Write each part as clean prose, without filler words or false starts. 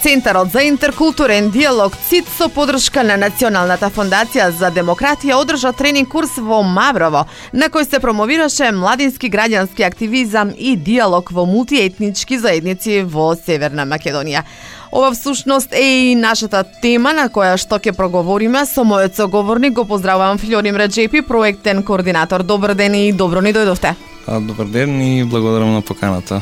Центарот за интеркултурен диалог ЦИД со подршка на Националната фондација за демократија одржа тренинг курс во Маврово, на кој се промовираше младински граѓански активизам и диалог во мултиетнички заедници во Северна Македонија. Ова всушност е и нашата тема на која што ќе проговориме. Со мојот соговорник го поздравувам Флорим Реджепи, проектен координатор. Добар ден и добро ни дојдовте. Добар ден и благодарам на поканата.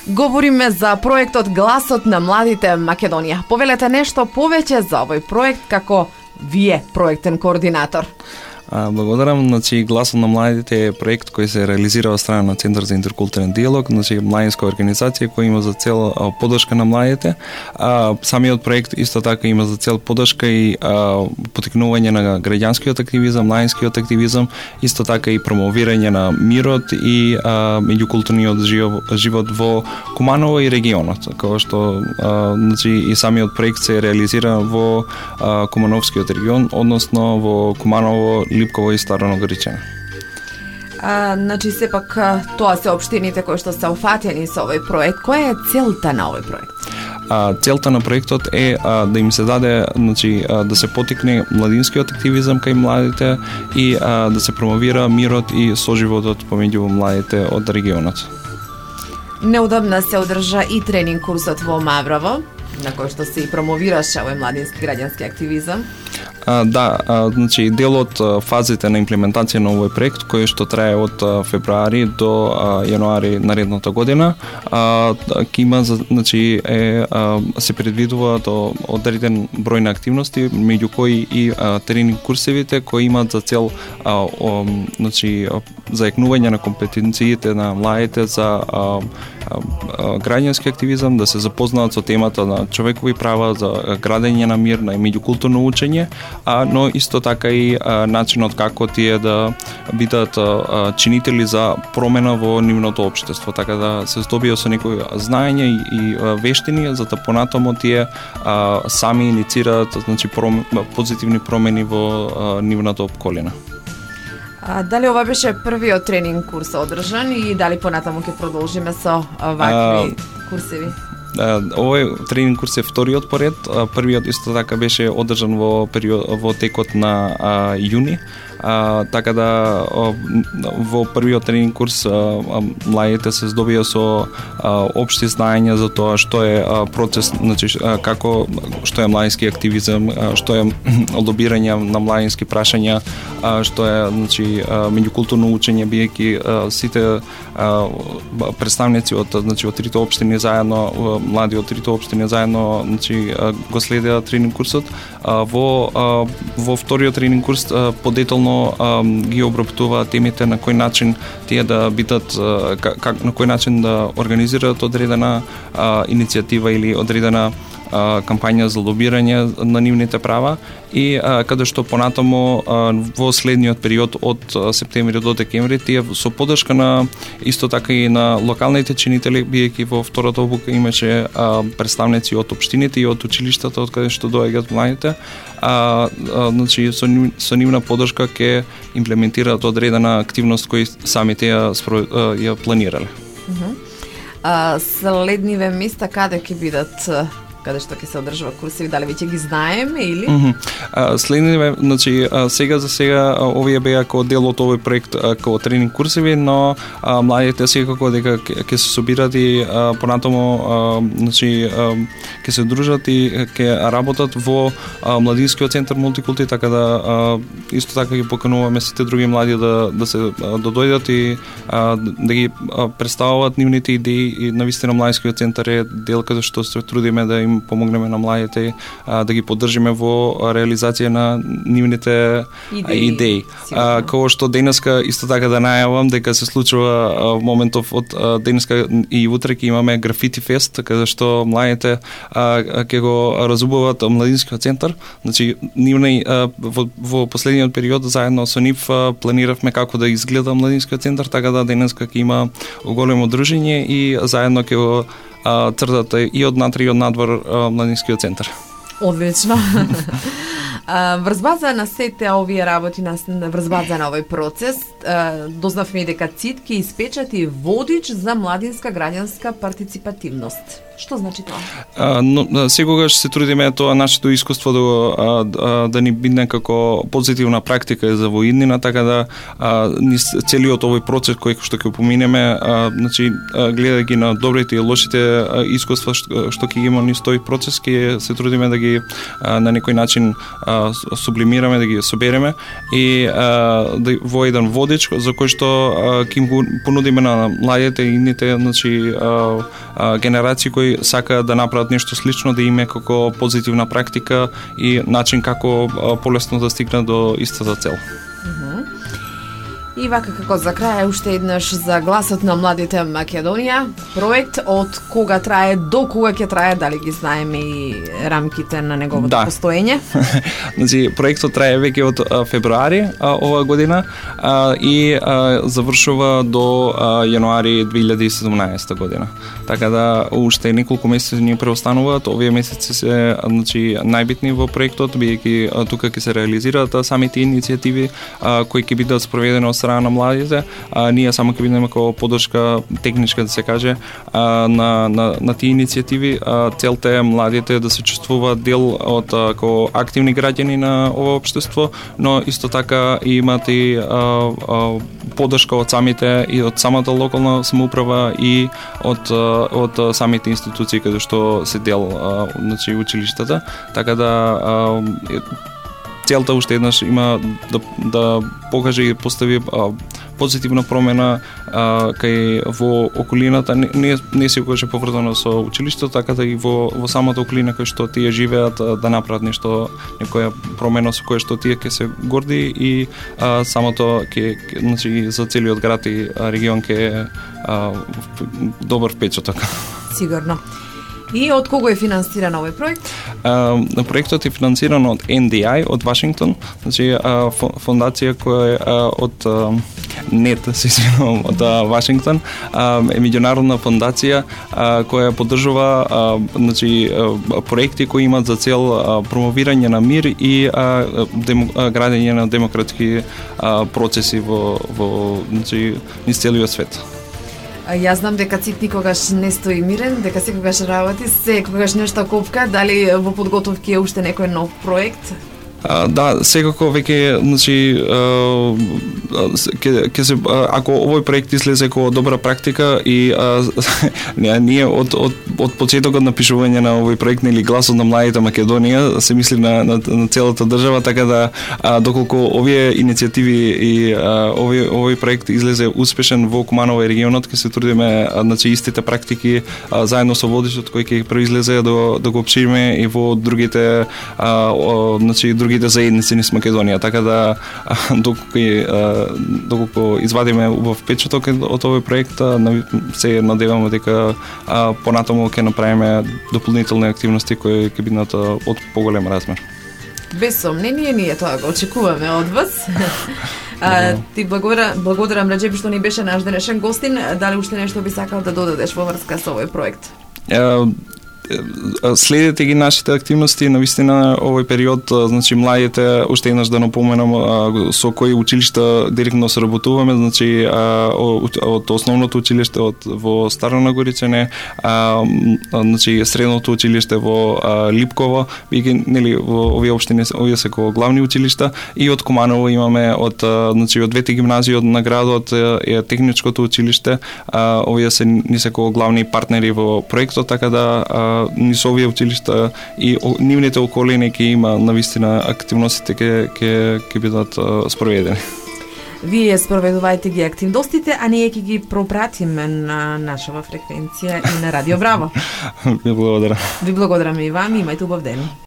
Говориме за проектот Гласот на младите Македонија. Повелете нешто повеќе за овој проект како вие проектен координатор. Благодарам. Гласот на младите е проект кој се реализира од страна на Центар за интеркултурен диалог, младинска организација која има за цел поддршка на младите. Самиот проект исто така има за цел поддршка и поттикнување на граѓанскиот активизам, младинскиот активизам, исто така и промовирање на мирот и меѓукултурниот живот во Куманово и регионот, како што и самиот проект се реализира во Кумановскиот регион, односно во Куманово, Липково и Старо Ногоричане. Сепак тоа се општините кои што се уфатени со овој проект. Која е целта на овој проект? Целта на проектот е да им се даде, да се поттикне младинскиот активизам кај младите и да се промовира мирот и соживотот помеѓу младите од регионот. Неодамна се одржа и тренинг курсот во Маврово, на кој што се и промовираше овој младински граѓански активизам. Дел од фазите на имплементација на овој проект, кој што трае од февруари до јануари наредната година, ќе има, се предвидува одреден број на активности, меѓу кои и тренинг курсевите кои имаат за цел зајакнување на компетенциите на младите за граѓански активизам, да се запознаат со темата на човекови права, за градење на мир, на меѓукултурно учење, но исто така и начинот како тие да бидат чинители за промена во нивното општество, така да се здобија со некои знаење и вештини, за да понатамо тие сами иницираат позитивни промени во нивната околина. Дали ова беше првиот тренинг курс одржан и дали понатаму ќе продолжиме со вакви курсеви? Овој тренинг курс е вториот поред. Првиот исто така беше одржан во текот на јуни. Така да во првиот тренинг курс младите се здобија со општи знаења за тоа што е процес, што е младински активизам, што е лобирање на младински прашања, што е меѓукултурно учење, биејќи сите представници од трите општини заедно, млади од трите општини заедно го следеа тренинг курсот. Во вториот тренинг курс подетално ги обработува темите на кој начин тие да бидат, на кој начин да организираат одредена иницијатива или одредена кампања за лобирање на нивните права и каде што понатамо во следниот период од септември до декември тие со поддршка на исто така и на локалните чинители, биејќи во втората обука имаше представници од општините и од училиштата од каде што доаѓаат младите, со нивна поддршка ќе имплементираат одредена активност кои самите ја планирале. Следниве места каде ќе бидат, каде што ќе се одржува курсеви, дали веќе ги знаеме или? Следниве, сега овие беа како дел од овој проект како тренинг курсеви, но младите секако дека ќе се собират и понатамо ќе се дружат и ќе работат во младинскиот центар мултикулти, така да исто така ги покануваме сите други млади да дојдат и да ги представуваат нивните идеи и навистина младинскиот центар е дел каде што се трудиме да им помогнеме на младите да ги поддржиме во реализација на нивните идеи. Како што денеска исто така да најавам дека се случува моментов од денеска и утре ќе имаме графити фест, каде што младите ќе го разубават младинскиот центар. Нивни во последниот период заедно со нив планиравме како да изгледа младинскиот центар, така да денеска ќе има големо дружење и заедно ќе го цртата и од натре и од надвор младинскиот центар. Одлично. Врз база на сите овие работи, врз база на овој процес, дознавме дека ЦИД ќе испечати водич за младинска граѓанска партиципативност. Што значи тоа? Но секогаш се трудиме тоа нашето искуство да ни биде како позитивна практика за во иднина, така да целиот овој процес кој што ќе поминеме, значи гледајќи на добрите и лошите искуства што ќе има низ тој процес, ќе се трудиме да ги на некој начин сублимираме, да ги собереме и во еден водич за кој што ќе им го понудиме на младите и идните, значи генерации кои сакаат да направат нешто слично, да име како позитивна практика и начин како полесно да стигнат до истата цел. И вака како за крај уште еднаш за гласот на младите Македонија, проект од кога трае до кога ќе трае, дали ги знаеме и рамките на неговото постоење? Значи проектот трае веќе од февруари оваа година и завршува до јануари 2017 година. Така да уште неколку месеци ни преостануваат. Овие месеци се значи најбитни во проектот, бидејќи тука ќе се реализираат самите иницијативи кои ќе бидат спроведени од страна на младите, ние само ќе бидеме како поддршка техничка, да се каже, на тие иницијативи. Целта е младите да се чувствуваат дел од како активни граѓани на ова општество, но исто така и имат и поддршка од самите и од самата локална самоуправа и од самите институции каде што се дел значи училиштата, така да целта уште еднаш има да покаже и постави позитивна промена кај во околината, не секогаш е поврзано со училиштето, така да и во самата околина кај што тие живеат да направат нешто, некоја промена со која што тие ќе се горди и самото ќе значи за целиот град и регион ќе добар впечаток. Сигурно. И од кого е финансиран овој проект? Проектот е финансиран од NDI од Вашингтон, значи фондација која е од НЕТ, се извинувам, од Вашингтон, е меѓународна фондација која поддржува значи проекти кои имаат за цел промовирање на мир и градење на демократски процеси во значи низ целиот свет. Јас знам дека Цит никогаш не стои мирен, дека секогаш работи, секогаш нешто копка, дали во подготовки е уште некој нов проект? Да, секако веќе, значи, ќе се ако овој проект излезе како добра практика и ние од почетокот на пишување на овој проект или гласот на младите Македонија се мисли на целата држава, така да доколку овие иницијативи и овој проект излезе успешен во Куманово и регионот, ќе се трудиме значи истите практики заедно со водичот кој ќе произлезе да го опшириме и во другите значи другите заедници низ Македонија, така да доколку извадиме убав впечаток од овој проект, се надеваме дека понатаму ќе направиме дополнителни активности кои ќе бидат од поголем размер. Без сомнение, ние тоа го очекуваме од вас. Ти благодарам Раџеп што ни беше наш денешен гостин. Дали уште нешто би сакал да додадеш во врска со овој проект? Следете ги нашите активности, навистина овој период, значи младите, уште еднаш да напоменам со кои училишта директно соработуваме, значи од основното училиште во Старо Нагоричане, значи средното училиште во Липково, нели во овие општини, овие се како главни училишта, и од Куманово имаме значи од двете гимназии на градот е техничкото училиште, овие се ни се како главни партнери во проектот, така да низ овие училишта и нивните околини ќе има навистина активностите ќе бидат спроведени. Вие спроведувајте ги активностите, а ние ќе ги пропратиме на нашава фреквенција и на Радио Браво. Ви благодарам. Ви благодарам и вам, имајте убав ден.